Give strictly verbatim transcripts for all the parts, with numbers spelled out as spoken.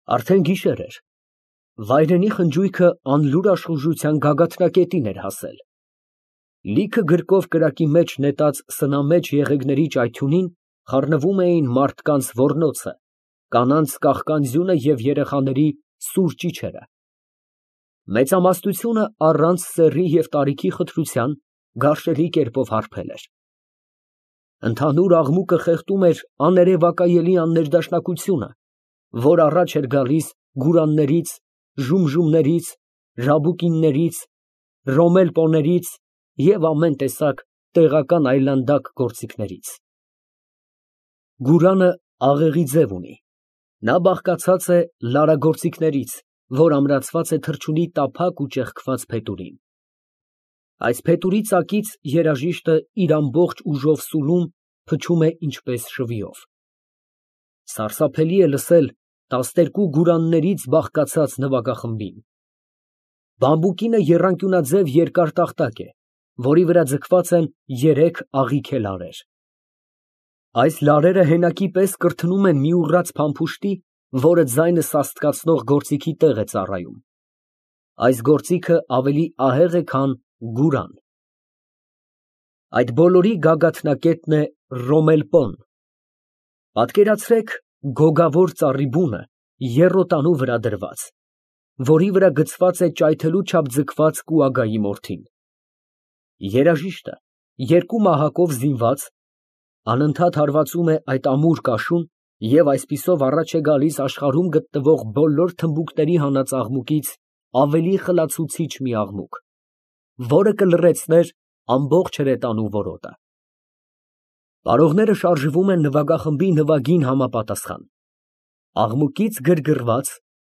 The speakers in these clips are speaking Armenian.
Արդեն գիշեր էր։ Վայրենի խնջույքը անլուր աշխուժության գագաթնակետին էր հասել։ Լիքը գրկով կրակի մեջ նետած սնամեջ եղեգների ճայթյունին խառնվում էին մարդկանց ոռնոցը, կանանց կաղկանձյունը և երեխաների սուր ճիչերը։ Մեծամասնությունը առանց սեռի և տարիքի խտրության գարշելի կերպով հարբել էր։ Ընդհանուր աղմուկը խեղդում էր աներևակայելի աններդաշնակությունը, որ առաջ էր գալիս գուրաններից, ժումժումներից, ժաբուկիններից, ռոմել֊պոներից և ամեն տեսակ տեղական այլանդակ գործիքներից։ Գուրանը աղեղի ձև ունի։ Նա բաղկացած է լարագործիքներից, որ ամրացված է թռչունի տափակ ու ճեղքված փետուրին։ Այս փետուրի ծակից երաժիշտը իր ամբողջ ուժով սուլում, փչում է ինչպես շվիով։ Սարսափելի է լսել տասներկու գուրաններից բաղկացած նվագախմբին։ Բամբուկինը եռանկյունաձև երկար տախտակ է, որի վրա ձգված են երեք աղիքե լարեր։ Այս լարերը հենակի պես կրթնում են մի ուռած փամփուշտի, որը ձայնը սաստկացնող գործիքի տեղ է ծառայում։ Այս գործիքը ավելի ահեղ է, քան գուրան։ Այդ բոլորի գագաթնակետն է ռոմել֊պոն։ Պատկերացրեք գոգավոր ծառի բունը եռոտանու վրա դրված, որի վրա գցված է ճայթելու չափ ձգված կուագայի մորթին։ Երաժիշտը, երկու մահակով զինված, անընդհատ հարվածում է այդ ամուր կաշուն և այսպիսով առաջ է գալիս աշխարհում գտնվող բոլոր թմբուկների հանած աղմուկից ավելի խլացուցիչ մի աղմուկ, որը կլռեցներ ամբողջ հրետանու որոտը։ Պարողները շարժվում են նվագախմբի նվագին համապատասխան։ Աղմուկից գրգռված,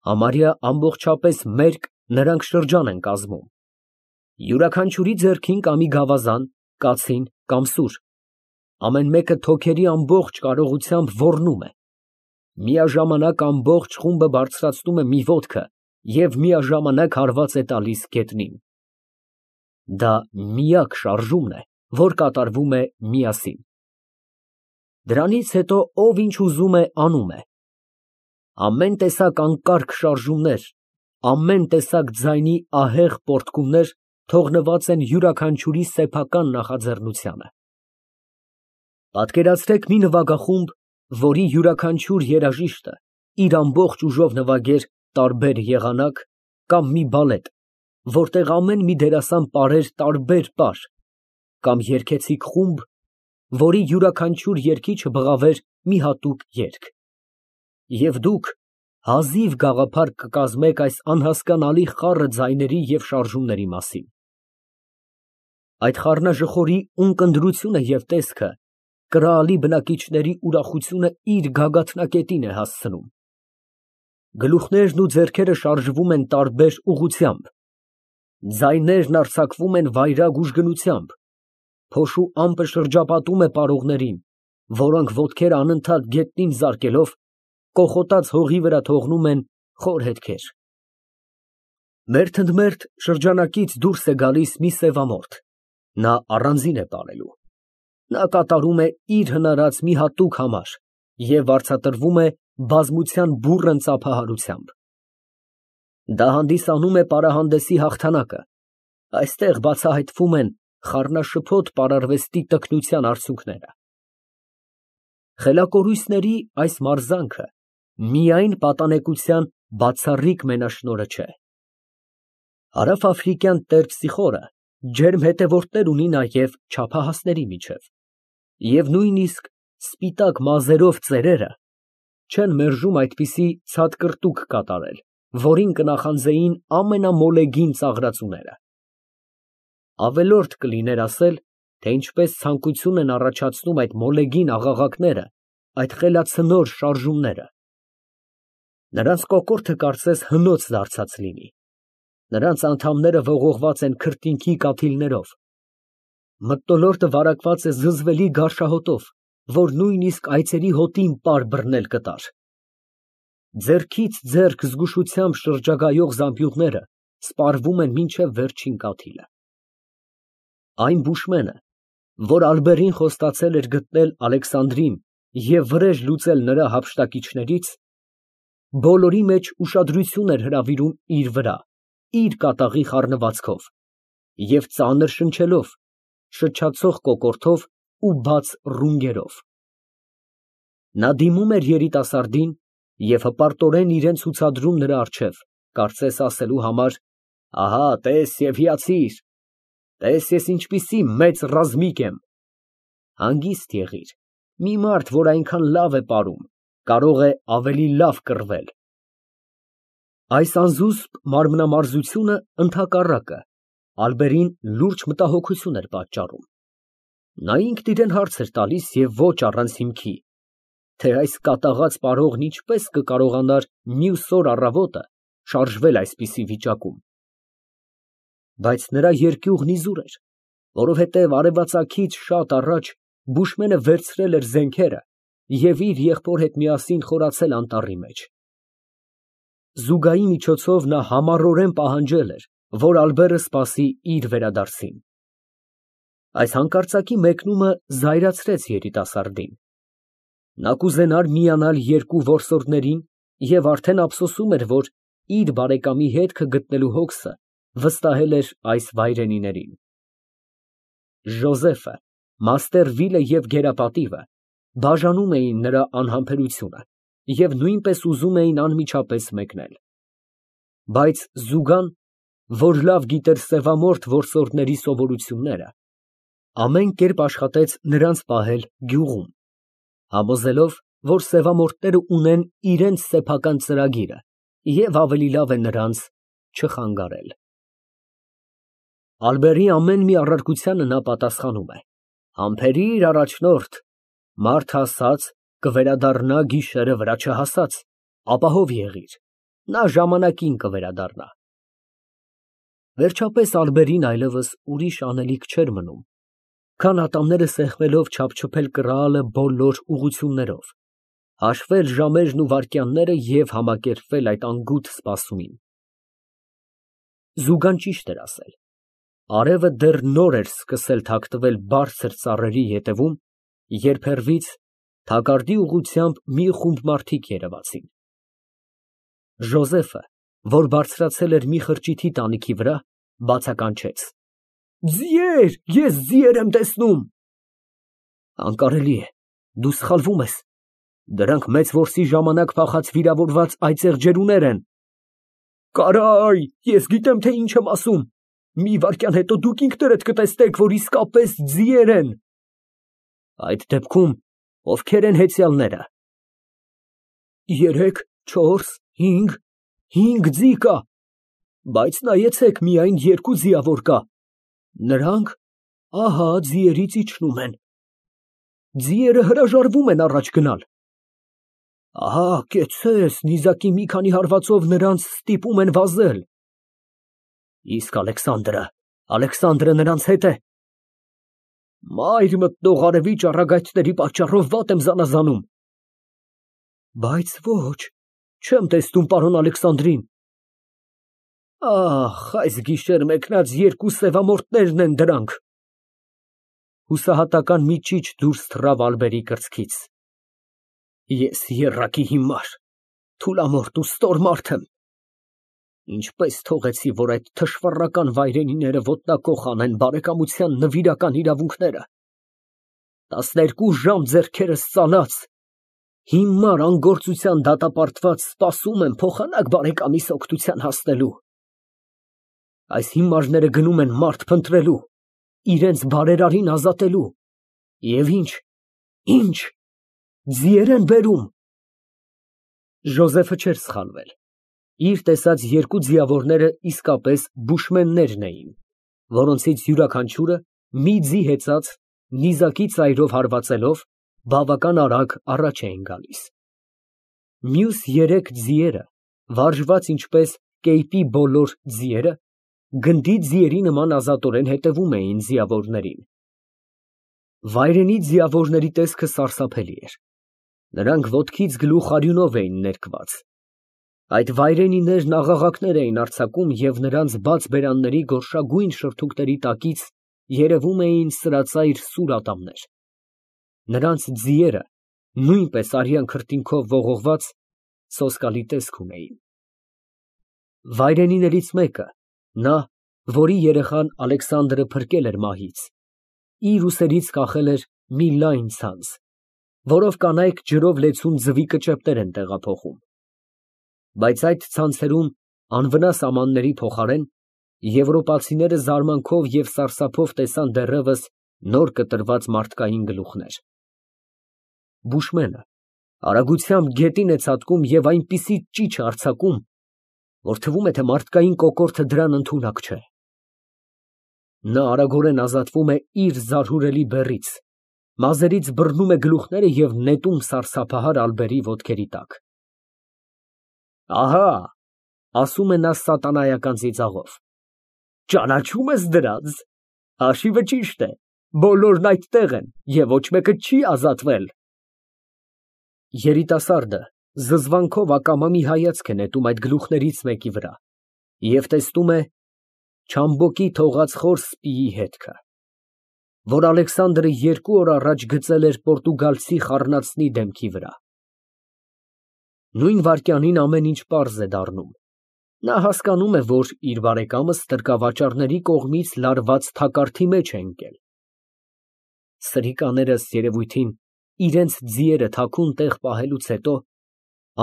համարյա ամբողջապես մերկ նրանք շրջան են կազմում։ Յուրաքանչյուրի ձեռքին կա մի գավազան, կացին կամ սուր, ամեն մեկը թոքերի ամբողջ կարողությամբ ոռնում է։ Միաժամանակ ամբողջ խումբը բարձրացնում է մի ոտքը և միաժամանակ հարված է տալիս գետնին։ Դա միակ շարժումն է, որ կատարվում է միասին։ Դրանից հետո ով ինչ ուզում է, անում է։ Ամեն տեսակ անկարգ շարժումներ, ամեն տեսակ ձայնի ահեղ պոռթկումներ թողնված են յուրաքանչյուրի սեփական նախաձեռնությանը։ Պատկերացրեք մի նվագախումբ, որի յուրաքանչյուր երաժիշտը իր ամբողջ ուժով նվագեր տարբեր եղանակ, կամ մի բալետ, որտեղ ամեն մի դերասան պարեր տարբեր պար, կամ երգեցիկ խումբ, որի յուրաքանչյուր երգիչը բղավեր մի հատուկ երգ։ Եվ դուք հազիվ գաղափար կկազմեք այս անհասկանալի խառը ձայների և շարժումների մասին։ Այդ խառնաժխորի ունկնդրությունը և տեսքը կրալի բնակիչների ուրախությունը իր գագաթնակետին է հասցնում։ Գլուխներն ու ձեռքերը շարժվում են տարբեր ուղղությամբ։ Ձայներն արձակվում են վայրագ ուժգնությամբ։ Փոշու ամպը շրջապատում է պարողներին, որոնք ոտքերը անընդհատ գետնին զարկելով, կոխոտած հողի վրա թողնում են խոր հետքեր։ Մերթընդմերթ շրջանակից դուրս է գալիս մի սևամորթ, նա առանձին է պարելու։ Նա կատարում է իր հնարած մի հատուկ համար և վարձատրվում է բազմության բուռն ծափահարությամբ։ Դա հանդիսանում է պարահանդեսի հաղթանակը, այստեղ բացահայտվում են խառնաշփոթ պարարվեստի տքնության արդյունքները։ Խելակորույսների այս մարզանքը միայն պատանեկության բացառիկ մենաշնորհը չէ։ Հարավաֆրիկյան տերպսիխորը ջերմ հետևորդներ ունի նաև չափահասների միջև, և նույնիսկ սպիտակ մազերով ծերերը չեն մերժում այդպիսի ցատկրտուկ կատարել, որին կնախանձեին ամենամոլեգին ծաղրածուները։ Ավելորդ կլիներ ասել, թե ինչպես ցանկություն են առաջացնում այդ մոլեգին աղաղակները, այդ խելացնոր շարժումները։ Նրանց կոկորդը կարծես հնոց դարձած լինի։ Նրանց անդամները ողողված են քրտինքի կաթիլներով։ Մթնոլորտը վարակված է զզվելի գարշահոտով, որ նույնիսկ այծերի հոտին պար բռնել կտար։ Ձեռքից ձեռք զգուշությամբ շրջագայող զամբյուղները սպառվում են մինչև վերջին կաթիլը։ Այն բուշմենը, որ ալբերին խոստացել էր գտնել Ալեքսանդրին և վրեժ լուծել նրա հափշտակիչներից, բոլորի մեջ ուշադրություն էր հրավիրում իր վրա, իր կատաղի խառնվածքով և ծանր շնչելով, շչացող կոկորդով ու բաց ռունգերով։ Նա դիմում էր երիտասարդին և հպարտորեն իրան ցուցադրում նրա առջև, կարծես ասելու համար. «Ահա, տես և հիացիր, տես ես ինչպիսի մեծ ռազմիկ եմ»։ Հանգիստ եղիր, մի մարդ, որ այնքան լավ է պարում, կարող է ավելի լավ կռվել։ Այս անզուսպ մարմնամարզությունը, ընդհակառակը, Ալբերին լուրջ մտահոգություն էր պատճառում։ Նա ինքն իրան հարց էր տալիս և ոչ առանց հիմքի, թե այս կատաղած պարողն ինչպես կկարողանար մյուս օր առավոտը շարժվել այսպիսի վիճակում։ Բայց նրա երկյուղն իզուր էր, որովհետև արևածագից շատ առաջ բուշմենը վերցրել էր զենքերը և իր եղբոր հետ միասին խորացել անտառի մեջ։ Զուգայի միջոցով նա համառորեն պահանջել էր, որ Ալբերը սպասի իր վերադարձին։ Այս հանկարծակի մեկնումը զայրացրեց երիտասարդին։ Նա կուզենար միանալ երկու որսորդներին և արդեն ափսոսում էր, որ իր բարեկամի հետքը գտնելու հոգսը վստահել էր այս վայրենիներին։ Ժոզեֆը, մաստեր Վիլը և գերապատիվը բաժանում էին նրա անհամբերությունը և նույնպես ուզում էին անմիջապես մեկնել։ Բայց Զուգան, որ լավ գիտեր սևամորթ որսորդների սովորությունները, ամեն կերպ աշխատեց նրանց պահել գյուղում, համոզելով, որ սևամորթները ունեն իրենց սեփական ծրագիրը և ավելի լավ է նրանց չխանգարել։ Ալբերի ամեն մի առարկությանը նա պատասխանում է. «Համբերիր, առաջնորդ, մարդ հասած կվերադառնա գիշերը վրա չհասած, ապահով եղիր, նա ժամանակին կվերադառնա»։ Վերջապես Ալբերին այլևս ուրիշ անելիք չէր մնում, քան ատամները սեղմելով չափչփել կռահալը բոլոր ուղղություններով, հաշվել ժամերն ու վայրկյանները և համակերպվել այդ անգութ սպասումին։ Զուգան ճիշտ էր ասել։ Արևը դեռ նոր էր սկսել թաքնվել բարձր ծառերի ետևում, երբ հեռվից, թակարդի ուղղությամբ մի խումբ մարդիկ երևացին։ Ժոզեֆը, որ բարձրացել էր մի խրճիթի տանիքի վրա, բացականչեց. «Ձիեր, ես ձիեր եմ տեսնում»։ Անկարելի է, դու սխալվում ես, դրանք մեծ որսի ժամանակ փախած վիրավորված այծեղ ջերուներ են։ Կարայ, ես գիտեմ, թե ինչ եմ ասում, մի վայրկյան հետո դուք ինքներդ կտեսնեք, որ իսկապես ձիեր են։ Այդ դեպքում ովքե՞ր են հեծյալները։ Երեք, չորս, հինգ, հինգ ձի կա, բայց նայեցեք, միայն երկու ձիավոր կա, նրանք, ահա, ձիերից իջնում են։ Ձիերը հրաժարվում են առաջ գնալ։ Ահա, կեցցես, նիզակի մի քանի հարվածով նրանց ստիպում են վազել։ Իսկ Ալեքսանդրը, Ալեքսանդրը նրանց հետ է։ Մայր մտնող արևի ճառագայթների պատճառով վատ եմ զանազանում։ Բայց ոչ, չեմ տեսնում պարոն Ալեքսանդրին։ Ահ, այս գիշեր մեկնած երկու սևամորթներն են դրանք։ Հուսահատական մի ճիչ դուրս թռավ Ալբերի կրծքից։ Ես եռակի հիմար, թուլամորթ ու ստոր մարդ եմ։ Ինչպես թողեցի, որ այդ թշվառական վայրենիները ոտնակոխ անեն բարեկամության նվիրական իրավունքները։ Տասներկու ժամ ձեռքերս ծալած, հիմար անգործության դատապարտված սպասում եմ փոխանակ բարեկամիս օգնության հասնելու։ Այս հիմարները գնում են մարդ փնտրելու, իրենց բարերարին ազատելու, և ինչ, ինչ, ձիեր են բերում։ Ժոզեֆը չէր սխալվել։ Իր տեսած երկու ձիավորները իսկապես բուշմեններն էին, որոնցից յուրաքանչյուրը մի ձի հեծած, նիզակի ծայրով հարվածելով, բավական արագ առաջ էին գալիս։ Մյուս երեք ձիերը, վարժված ինչպես կեյպի բոլոր ձիերը, գնդի ձիերի նման ազատորեն հետևում էին ձիավորներին։ Վայրենի ձիավորների տեսքը սարսափելի էր։ Նրանք ոտքից գլուխ արյունով էին ներկված։ Այդ վայրենիներն աղաղակներ էին արձակում և նրանց բաց բերանների գորշագույն շրթունքների տակից երևում էին սրածայր սուր ատամներ։ Նրանց ձիերը, նույնպես արյան քրտինքով ողողված, սոսկալի տեսք ունեին։ Վայրենիներից մեկը, նա, որի երեխան Ալեքսանդրը փրկել էր մահից, իր ուսերից կախել էր մի լայն ցանց, որով կանայք ջրով լեցուն ձվի կճեպներ են տեղափոխում, բայց այդ ցանցերում անվնաս ամանների փոխարեն եվրոպացիները զարմանքով և սարսափով տեսան դեռևս նոր կտրված մարդկային գլուխներ։ Բուշմենը արագությամբ գետին է ցատկում և այնպիսի ճիչ է արձակում, որ թվում է, թե մարդկային կոկորդը դրան ընդունակ չէ։ Նա արագորեն ազատվում է իր զարհուրելի բեռից, մազերից բռնում է գլուխները և նետում սարսափահար ալբերի ոտքերի տակ։ Ահա, ասում է նա սատանայական ծիծաղով, ճանաչո՞ւմ ես դրանց, հաշիվը ճիշտ է, բոլորն այդտեղ են և ոչ մեկը չի ազատվել։ Երիտասարդը զզվանքով ակամա մի հայացք է նետում այդ գլուխներից մեկի վրա և տեսնում է Չամբոկի թողած խոր սպիի հետքը, որ Ալեքսանդրը երկու օր առաջ գծել էր պորտուգալցի խառնածնի դեմքի վրա։ Նույն վայրկյանին ամեն ինչ պարզ է դառնում։ Նա հասկանում է, որ իր բարեկամը ստրկավաճառների կողմից լարված թակարդի մեջ է ընկել։ Սրիկաները, ըստ երևույթին, իրենց ձիերը թաքուն տեղ պահելուց հետո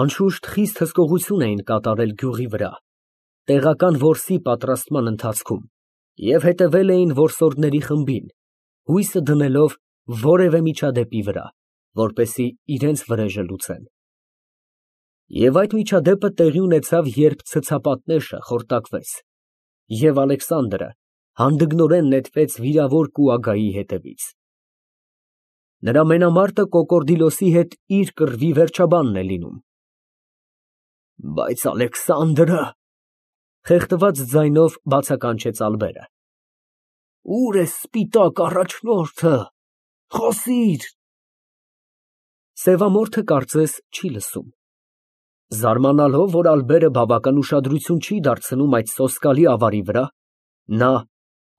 անշուշտ խիստ հսկողություն էին կատարել գյուղի վրա, տեղական որսի պատրաստման ընթացքում և հետևել էին որսորդների խմբին, հույսը դնելով որևէ միջադեպի վրա, որպեսզի իրենց վրեժը լուծեն։ Եվ այդ միջադեպը տեղի ունեցավ, երբ ցցապատնեշը խորտակվեց, և Ալեքսանդրը հանդգնորեն նետվեց վիրավոր կուագայի հետևից։ Նրա մենամարտը Կոկորդիլոսի հետ իր կռվի վերջաբանն է լինում։ Բայց Ալեքսանդրը… խեղդված ձայնով բացականչեց ալբերը։ Ո՞ւր է սպիտակ առաջնորդը, խոսիր… Սևամորթը կարծես չի լսում։ Զարմանալով, որ ալբերը բավական ուշադրություն չի դարձնում այդ սոսկալի ավարի վրա, նա,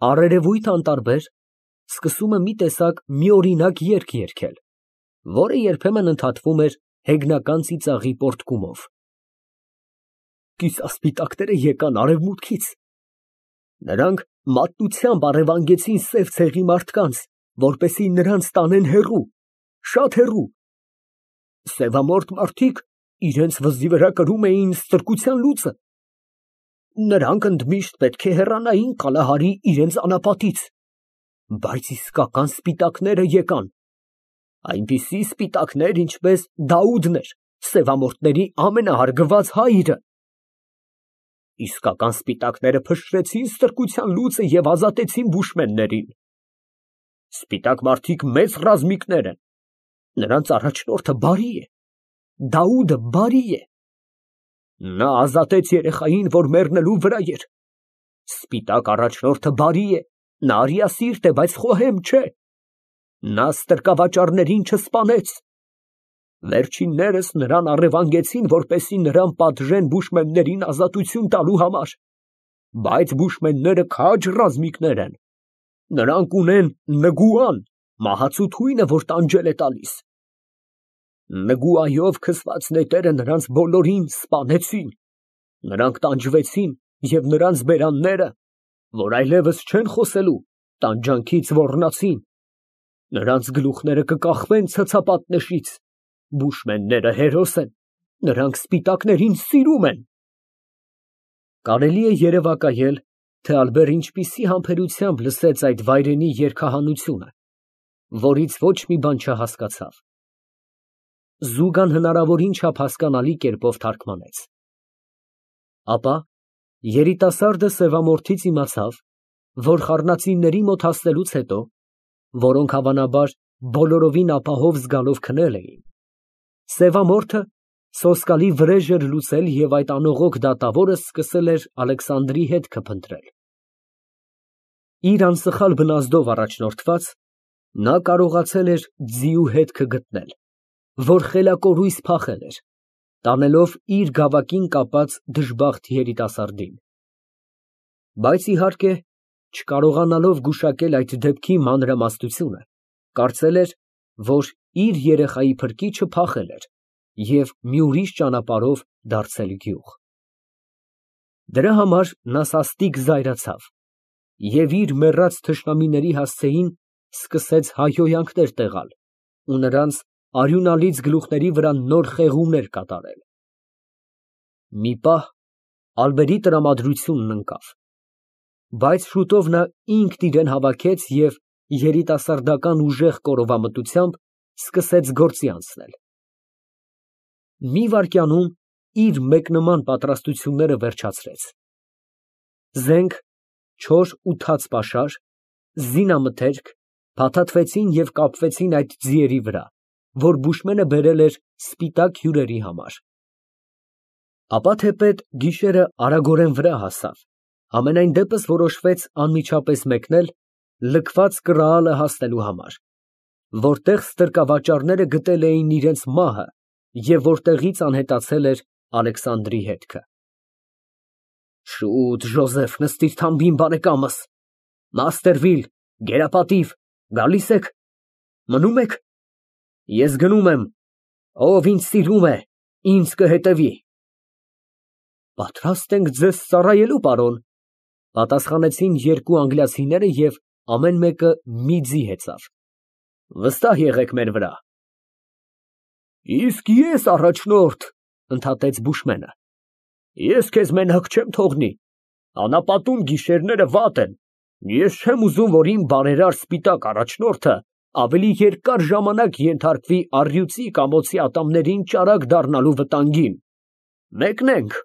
առերևույթ անտարբեր, սկսում է մի տեսակ միօրինակ երգ երգել, որը երբեմն ընդհատվում էր հեգնական ծիծաղի պոռթկումով։ Կիսասպիտակները եկան արևմուտքից։ Նրանք մատնությամբ առևանգեցին սև ցեղի մարդկանց, որպեսզի նրանց տանեն հեռու, շատ հեռու։ Սևամորթ մարդիկ իրենց վզի վրա կրում էին ստրկության լուծը։ Նրանք ընդմիշտ պետք է հեռանային Կալահարի իրենց անապատից, բայց իսկական սպիտակները եկան, այնպիսի սպիտակներ, ինչպես Դաուդն էր, սևամորթների ամենահարգված հայրը։ Իսկական սպիտակները փշրեցին ստրկության լուծը և ազատեցին բուշմեններին։ Սպիտակ մարդիկ մեծ ռազմիկներ են, նրանց առաջնորդը բարի է, Դաուդը բարի է։ Նա ազատեց երեխային, որ մեռնելու վրա էր։ Սպիտակ առաջնորդը բարի է, նա արիասիրտ է, բայց խոհեմ չէ։ Նա ստրկավաճառներին չսպանեց։ Վերջիններս նրան առևանգեցին, որպեսզի նրան պատժեն բուշմեններին ազատություն տալու համար, բայց բուշմենները քաջ ռազմիկներ են։ Նրանք ունեն Նգուան, մահացու թույնը, որ տանջել է տալիս։ Նգուայով քսված նետերը նրանց բոլորին սպանեցին, նրանք տանջվեցին և նրանց բերանները, որ այլևս չեն խոսելու, տանջանքից ոռնացին, նրանց գլուխները կկախվեն ցցապատնեշից, բուշմենները հերոս են, նրանք սպիտակներին սիրում են։ Կարելի է երևակայել, թե ալբերը ինչպիսի համբերությամբ լսեց այդ վայրենի երգահանությունը, որից ոչ մի բան չհասկացավ։ Զուգան հնարավորին չափ հասկանալի կերպով թարգմանեց։ Ապա երիտասարդը սևամորթից իմացավ, որ խառնածինների մոտ հասնելուց հետո, որոնք հավանաբար բոլորովին ապահով զգալով քնել էին, սևամորթը սոսկալի վրեժ էր լուծել և այդ անողոք դատավորը սկսել էր Ալեքսանդրի հետքը փնտրել։ Իր անսխալ բնազդով առաջնորդված, նա կարողացել էր ձիու հետքը գտնել, որ խելակորույս փախել էր, տանելով իր գավակին կապած դժբախտ երիտասարդին։ Բայց, իհարկե, չկարողանալով գուշակել այդ դեպքի մանրամասնությունը, կարծել էր, որ իր երեխայի փրկիչը փախել էր և մի ուրիշ ճանապարհով դարձել գյուղ։ Դրա համար նա սաստիկ զայրացավ և իր մեռած թշնամիների հասցեին սկսեց հայհոյանքներ տեղալ ու նրանց արյունալից գլուխների վրա նոր խեղումներ կատարել։ Մի պահ ալբերի տրամադրությունն ընկավ, բայց շուտով նա ինքն իրան հավաքեց և երիտասարդական ուժեղ կորովամտությամբ սկսեց գործի անցնել։ Մի վայրկյանում իր մեկնման պատրաստությունները վերջացրեց։ Զենք, չոր ու թաց պաշար, զինամթերք փաթաթվեցին և կապվեցին այդ ձիերի վրա, որ բուշմենը բերել էր սպիտակ հյուրերի համար։ Ապա թեպետ գիշերը արագորեն վրա հասավ, համենայն դեպս որոշվեց անմիջապես մեկնել լքված կռահալը հասնելու համար, որտեղ ստրկավաճառները գտել էին իրենց մահը և որտեղից անհետացել էր Ալեքսանդրի հետքը։ Շուտ, Ժոզեֆ, նստիր թամբին, բարեկամս, Մասերվիլ, գերապատիվ, գալի՞ս եք, մնո՞ւմ եք։ Ես գնում եմ, ով ինձ սիրում է, ինձ կհետևի։ Պատրաստ ենք ձեզ ծառայելու, պարոն, պատասխանեցին երկու անգլիացիները և ամեն մեկը մի ձի հեծավ։ Վստահ եղեք մեր վրա։ Իսկ ես առաջնորդ, ընդհատեց բուշմենը, ես քեզ մենակ չեմ թողնի, անապատում գիշերները վատ են, ես չեմ ուզում, որ իմ բարերար սպիտակ առաջնորդը ավելի երկար ժամանակ ենթարկվի առյուծի ամոցի ատամներին ճարակ դառնալու վտանգին։ Մեկնենք։